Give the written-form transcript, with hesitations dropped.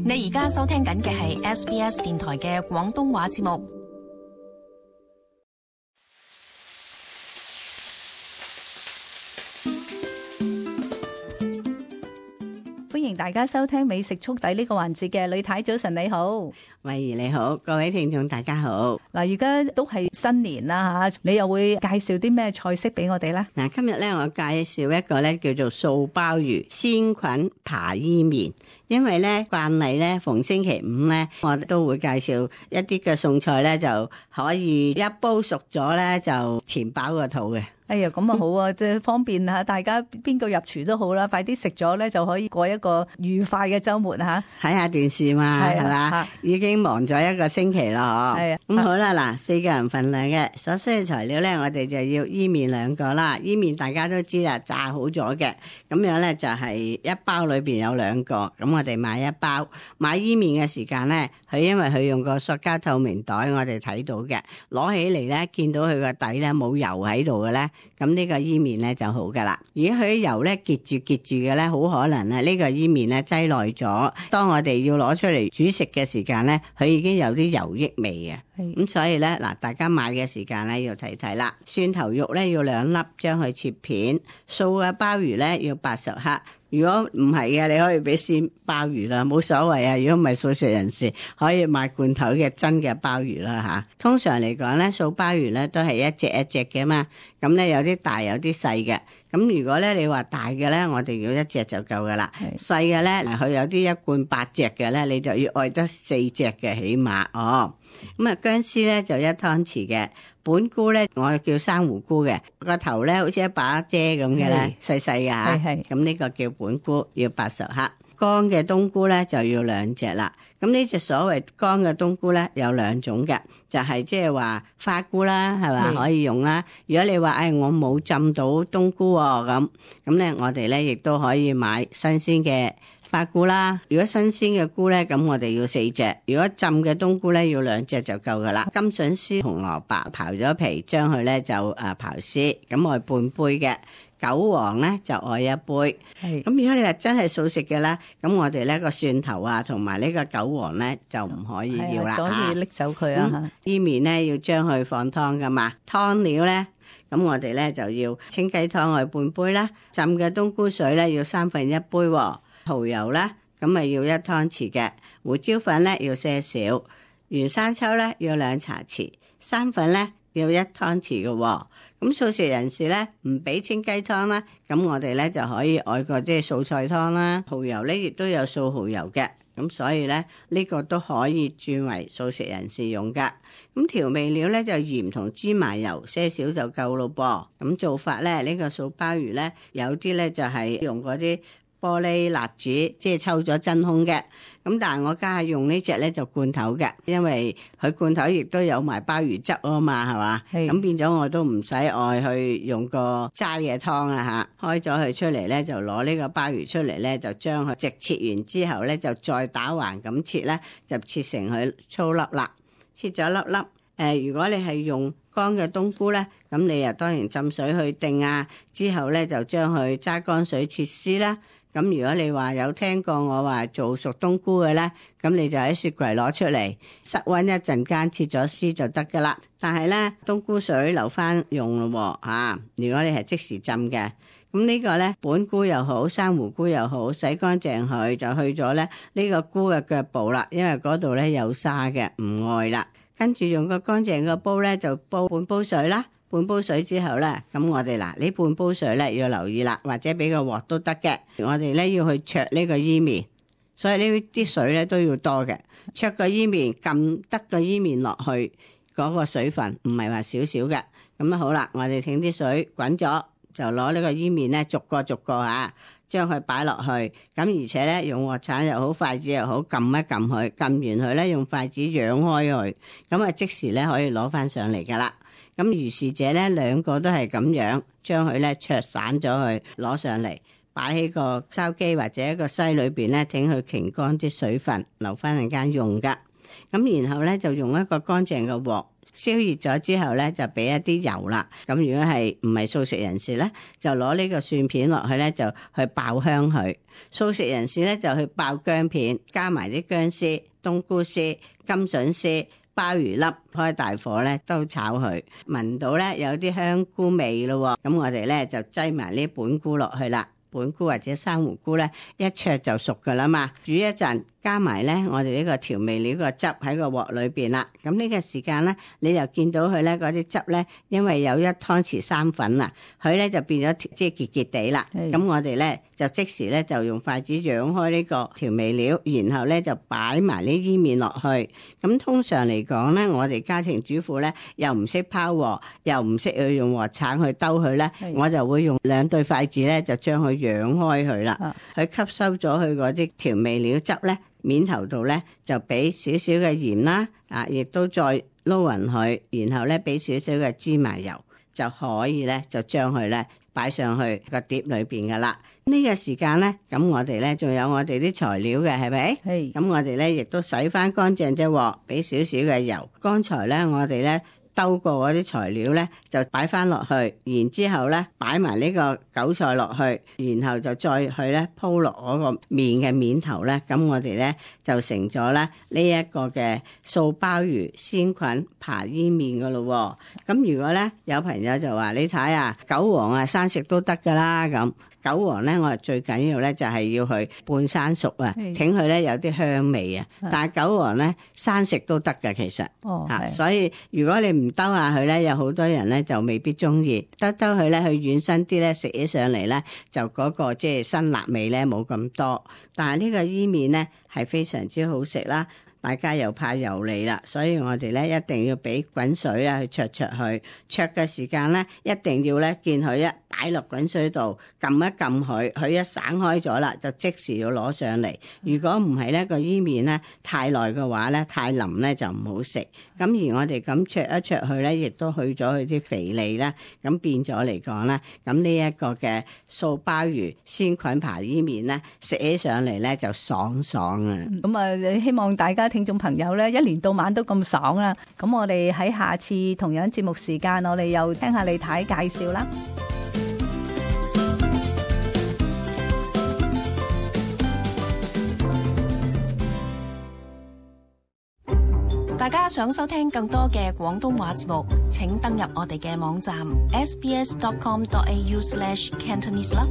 你而家收聽緊嘅係 SBS 電台嘅廣東話節目。歡迎大家收聽美食速遞呢個環節嘅，呂太早晨你好。慧怡你好，各位聽眾大家好。嗱，而家都係新年啦吓，你又會介紹啲咩菜式俾我哋呢？嗱，今日咧我介紹一個咧叫做素鮑魚鮮菌扒伊麵，因為咧慣例咧逢星期五咧我都會介紹一啲嘅餸菜咧，就可以一煲熟咗咧就填飽個肚嘅。哎呀，咁啊好啊，即係方便吓大家，邊個入廚都好啦，快啲食咗咧就可以過一個愉快嘅週末吓。睇下電視嘛，係嘛？已經忙咗一個星期啦，嗬。咁好啦，嗱，4個人份量嘅所需嘅材料咧，我哋就要伊麵2個啦。伊麵大家都知啦，炸好咗嘅，咁樣咧就係一包裏邊有2個，咁我哋買一包。買伊麵嘅時間咧，佢因為佢用個塑膠透明袋，我哋睇到嘅，攞起嚟咧見到佢個底咧冇油喺度嘅咧。咁呢個伊麵咧就好噶啦。如果佢啲油咧結住嘅咧，好可能啊呢個伊麵咧擠耐咗。當我哋要攞出嚟煮食嘅時間咧，佢已經有啲油益味嘅。咁所以咧嗱，大家買嘅時間咧要睇睇啦。蒜頭肉咧要2粒，將佢切片。素嘅鮑魚咧要80克。如果唔係嘅，你可以俾鮮鮑魚啦，冇所謂啊。如果唔係素食人士，可以買罐頭嘅真嘅鮑魚啦嚇。通常嚟講咧，素鮑魚咧都係一隻一隻嘅嘛。咁咧有啲大有啲細嘅。咁如果咧你話大嘅咧，我哋要1隻就夠噶啦。細嘅咧嗱，佢有啲一罐8隻嘅咧，你就要愛得4隻嘅起碼哦。咁啊薑絲咧就1湯匙嘅。本菇咧我叫珊瑚菇嘅，個頭咧好似一把遮咁嘅咧，細細嘅嚇。咁呢個叫本菇，要80克。乾嘅冬菇咧就要2隻啦。咁呢隻所謂乾嘅冬菇咧有2種嘅，就係即係話花菇啦，係咪可以用啦？如果你話我冇浸到冬菇喎，咁咧我哋咧亦都可以買新鮮嘅花菇啦。如果新鮮嘅菇咧，咁我哋要4隻。如果浸嘅冬菇咧，要2隻就夠噶啦。金筍絲、紅蘿蔔刨咗皮，將佢咧就刨絲，咁我半杯嘅。韭黃咧就愛1杯。咁如果你話真係素食嘅啦，咁我哋咧個蒜頭啊同埋呢個韭黃咧就唔可以要啦，所以拎走佢啊。伊麵咧要將佢放湯噶嘛，湯料咧咁我哋咧就要清雞湯愛半杯啦，浸嘅冬菇水咧要1/3杯，蠔油咧咁咪要1湯匙嘅，胡椒粉咧要些少，原生抽咧要2茶匙，生粉咧要1湯匙嘅。咁素食人士咧唔俾清雞湯啦，咁我哋咧就可以愛個即係素菜湯啦。蠔油咧亦都有素蠔油嘅，咁所以咧呢個都可以轉為素食人士用噶。咁調味料咧就鹽同芝麻油些少就夠咯噃。咁做法咧呢個素鮑魚咧有啲咧就係用嗰啲玻璃蠟紙，即係抽咗真空嘅。咁但係我家下用呢隻咧就罐頭嘅，因為佢罐頭亦都有埋鮑魚汁啊嘛，係嘛？咁變咗我都唔使愛去用個齋嘅湯啊嚇。開咗佢出嚟咧，就攞呢個鮑魚出嚟咧，就將佢直切完之後咧，就再打橫咁切咧，就切成佢粗粒啦。切咗粒粒。如果你係用乾嘅冬菇咧，咁你又當然浸水去定啊，之後咧就將佢揸乾水切絲啦。咁如果你話有聽過我話做熟冬菇嘅咧，咁你就喺雪櫃攞出嚟室溫一陣間切咗絲就得噶啦。但係咧冬菇水留翻用咯喎。如果你係即時浸嘅，咁呢個咧本菇又好，珊瑚菇又好，洗乾淨佢就去咗咧呢個菇嘅腳部啦，因為嗰度咧有沙嘅，唔愛啦。跟住用個乾淨嘅煲咧就煲半煲水啦。半煲水之後咧，咁我哋呢半煲水咧要留意啦，或者俾個鑊都得嘅。我哋咧要去焯呢個伊麵，所以呢啲水咧都要多嘅。焯個伊麵，撳得個伊麵落去嗰個水分，唔係話少少嘅。咁好啦，我哋挺啲水滾咗，就攞呢個伊麵咧逐個將佢擺落去。咁而且咧用鑊鏟又好，筷子又好，撳一撳佢，撳完佢咧用筷子揚開佢，咁啊即時咧可以攞翻上嚟噶啦。咁如是者咧2個都係咁樣，將佢咧焯散咗佢，攞上嚟擺喺個筲箕或者一個篩裏邊咧，等佢擎乾啲水分，留翻陣間用噶。咁然後咧就用一個乾淨嘅鑊，燒熱咗之後咧，就俾一啲油啦。咁如果係唔係素食人士咧，就攞呢個蒜片落去咧，就去爆香佢。素食人士咧就去爆薑片，加埋啲薑絲、冬菇絲、甘筍絲、鮑魚粒，開大火咧都炒佢，聞到咧有啲香菇味咯。咁我哋咧就擠埋呢本菇落去啦。本菇或者生胡菇咧，一焯就熟噶啦嘛。煮一陣，加埋咧我哋呢個調味料個汁喺個鑊裏邊啦。咁呢個時間咧，你就見到佢咧嗰啲汁咧，因為有1湯匙生粉啊，佢咧就變咗即係結結地啦。咁我哋咧就即時咧就用筷子揚開呢個調味料，然後咧就擺埋呢伊麵落去。咁通常嚟講咧，我哋家庭主婦咧又唔識拋鑊，又唔識去用鑊鏟去兜佢咧，我就會用2對筷子咧就將佢揚開佢啦。佢吸收咗佢嗰啲調味料汁咧，面頭度咧就俾少少嘅鹽啦，亦都再撈勻佢，然後咧俾少少嘅芝麻油，就可以咧就將佢咧擺上去個碟裏邊噶啦。呢個時間咧，咁我哋咧仲有我哋啲材料嘅，係咪？係。咁我哋咧亦都洗翻乾淨隻鑊，俾少少嘅油。剛才咧我哋咧兜過嗰啲材料咧，就擺翻落去，然之後咧擺埋呢個韭菜落去，然後就再去咧鋪落嗰個麵嘅面頭咧，咁我哋咧就成咗咧呢一個嘅素鮑魚鮮菌扒伊麵噶咯。咁如果咧有朋友就話你睇啊，韭黃啊生食都得噶啦咁。韭黃咧，我哋最緊要咧就係要去半生熟啊，整佢咧有啲香味啊。但係韭黃咧生食都得㗎，其實所以如果你唔兜下佢咧，有好多人咧就未必中意。兜佢咧，佢軟身啲咧，食起上嚟咧就嗰個即係辛辣味咧冇咁多。但係呢個伊麵咧係非常之好食啦。大家又怕油膩啦，所以我哋咧一定要俾滾水啊去焯佢。焯嘅時間咧，一定要咧見佢一擺落滾水度，撳一撳佢，佢一散開咗啦，就即時要攞上嚟。如果唔係咧，個伊麵咧太耐嘅話咧，太腍咧就唔好食。咁而我哋咁焯一焯佢咧，亦都去咗佢啲肥膩啦。咁變咗嚟講咧，咁呢一個嘅素鮑魚鮮菌扒伊麵咧，食起上嚟咧就爽爽啊！咁啊，希望大家聽眾朋友咧，一年到晚都咁爽啦。咁我哋喺下次同樣節目時間，我哋又聽下李太介紹啦。大家想收聽更多嘅廣東話節目，請登入我哋嘅網站 sbs.com.au/cantonese 啦。